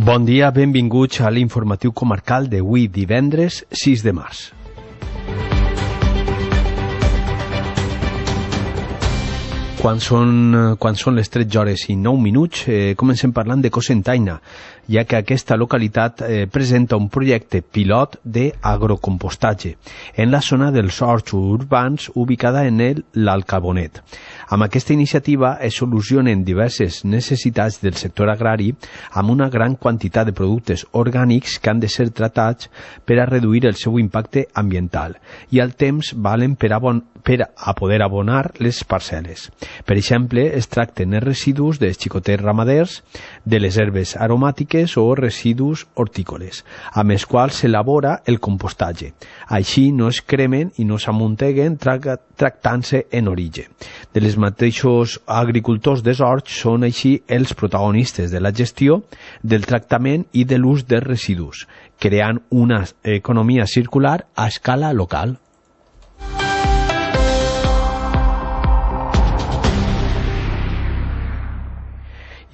Bon dia, benvinguts a l'informatiu comarcal d'avui divendres 6 de març. Quan són les 13 hores i 9 minuts, comencem parlant de Cocentaina, ja que aquesta localitat presenta un projecte pilot d'agrocompostatge en la zona dels horts urbans ubicada en l'Alcabonet. Amb aquesta iniciativa es solucionen diverses necessitats del sector agrari amb una gran quantitat de productes orgànics que han de ser tratats per a reduir el seu impacte ambiental i al temps valen per a poder abonar les parcel·les. Per exemple, es tracten els residus dels xicotets ramaders, de les herbes aromàtiques o residus hortícoles, amb els quals s'elabora el compostatge. Així no es cremen i no s'amunteguen tractant-se en origen. De les mateixos agricultors dels horts són així els protagonistes de la gestió, del tractament i de l'ús dels residus, creant una economia circular a escala local.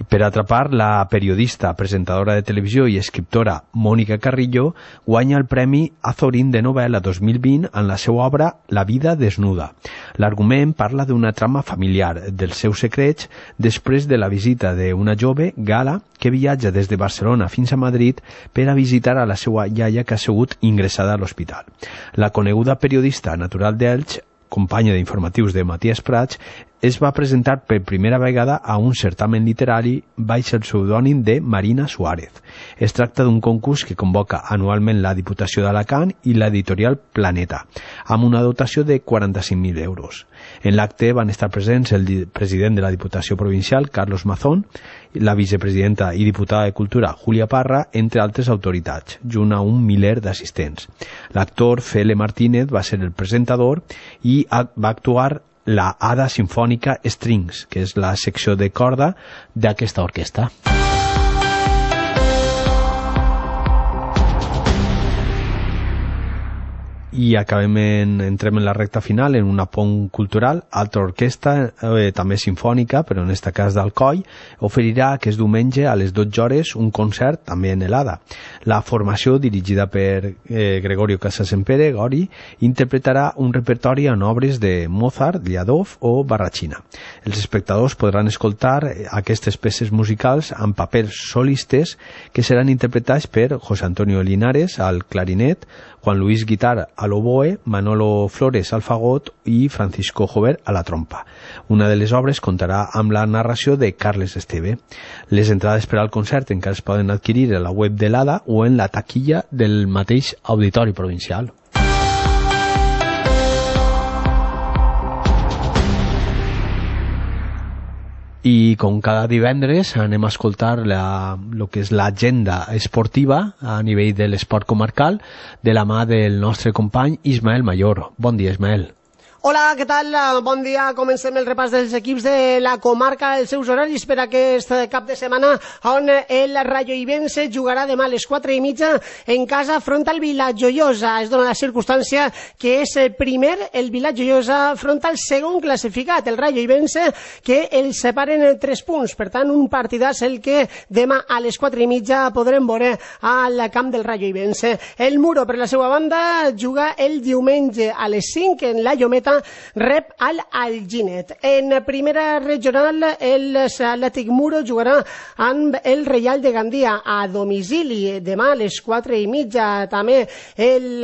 Per atrapar, la periodista, presentadora de televisió i escriptora Mònica Carrillo guanya el Premi Azorín de novel·la 2020 en la seva obra La vida desnuda. L'argument parla d'una trama familiar, dels seus secrets, després de la visita d'una jove, Gala, que viatja des de Barcelona fins a Madrid per a visitar a la seva iaia que ha sigut ingressada a l'hospital. La coneguda periodista natural d'Elx, companya d'informatius de Matías Prats, es va presentar per primera vegada a un certamen literari baix el pseudònim de Marina Suárez. Es tracta d'un concurs que convoca anualment la Diputació d'Alacant i l'editorial Planeta, amb una dotació de 45.000 euros. En l'acte van estar presents el president de la Diputació Provincial, Carlos Mazón, la vicepresidenta i diputada de Cultura, Júlia Parra, entre altres autoritats, junt a un miler d'assistents. L'actor Fele Martínez va ser el presentador i va actuar la Hada Sinfònica Strings, que és la secció de corda d'aquesta orquestra. I entrem en la recta final en una pont cultural. Altra orquestra, també sinfònica, però en aquest cas d'Alcoi, oferirà aquest diumenge a les 12 hores un concert també en l'Hada. La formació, dirigida per Gregorio Casasempere, Gori, interpretarà un repertori en obres de Mozart, Liadov o Barrachina. Els espectadors podran escoltar aquestes peces musicals amb papers solistes que seran interpretats per José Antonio Linares al clarinet, Juan Luis Guitar a l'oboe, Manolo Flores al fagot i Francisco Jover a la trompa. Una de les obres contarà amb la narració de Carles Esteve. Les entrades per al concert encara es poden adquirir a la web de l'Hada o en la taquilla del mateix Auditori Provincial. I com cada divendres anem a escoltar el que és l'agenda esportiva a nivell de l'esport comarcal de la mà del nostre company Ismael Mayor. Bon dia, Ismael. Hola, què tal? Bon dia. Comencem el repàs dels equips de la comarca, els seus horaris per aquest cap de setmana, on el Rayo Ibense jugarà demà a les 4:30 en casa front al Vilajoiosa. Es dona la circumstància que és primer el Vilajoiosa front al segon classificat, el Rayo Ibense, que els separen 3 punts. Per tant, un partidàs el que demà a les 4:30 podrem veure al camp del Rayo Ibense. El Muro, per la seva banda, juga el diumenge a les 5 en la Llometa, rep al Alginet. En primera regional, el Atlètic Muro jugarà amb el Reial de Gandia a domicili demà a les 4:30. També el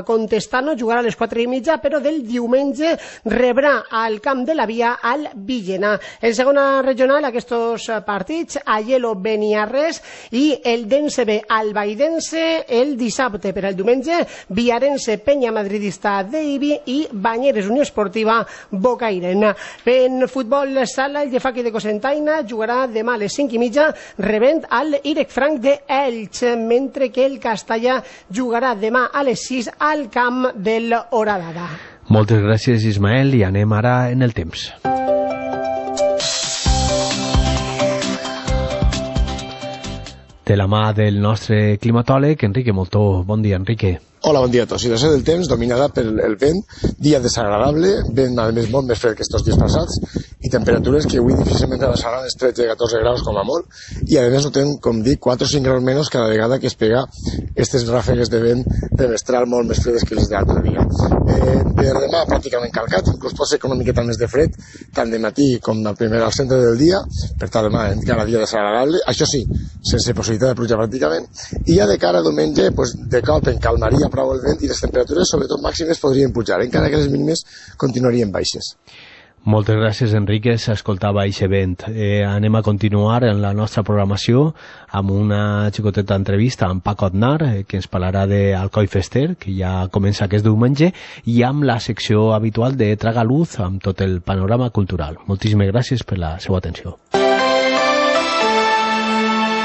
Contestano jugarà a les 4:30, però del diumenge rebrà al camp de la Via al Villena. En segona regional, aquests partits, Aielo Beniarres i el Dense B Albaidense el dissabte. Per al diumenge, Viarense Penya Madridista d'Eibi i Banyeres Unió Esportiva Bocairent. En futbol sala, el Llefaqui de Cocentaina jugarà demà a les 5:30 rebent al Irec Franc de Elx, mentre que el Castellà jugarà demà a les 6 al camp del Horadada. Moltes gràcies, Ismael, i anem ara en el temps. De la mà del nostre climatòleg, Enrique Moltó. Bon dia, Enrique. Hola, bon dia a tots. Situació del temps dominada per el vent, dia desagradable, vent a més molt més fred que estos dies passats, i i temperatures que avui difícilment rebassaran els 13-14 graus com a molt, i a més notem, com dic, 4 o 5 graus menys cada vegada que es pega aquestes ràfegues de vent de mestral molt més fredes que les de l'altre dia. Per demà pràcticament calcat, inclús pot ser una miqueta més de fred, tant de matí com al centre del dia, per tant demà encara dia desagradable, això sí, sense possibilitat de pluja pràcticament, i ja de cara a diumenge, de cop en calmaria prou el vent i les temperatures, sobretot màximes, podrien pujar, encara que les mínimes continuarien baixes. Moltes gràcies, Enrique. S'escoltava eixe vent. Anem a continuar en la nostra programació amb una xicoteta entrevista amb Paco Aznar, que ens parlarà d'Alcoi Fester, que ja comença aquest diumenge, i amb la secció habitual de Traga Luz, amb tot el panorama cultural. Moltíssimes gràcies per la seva atenció.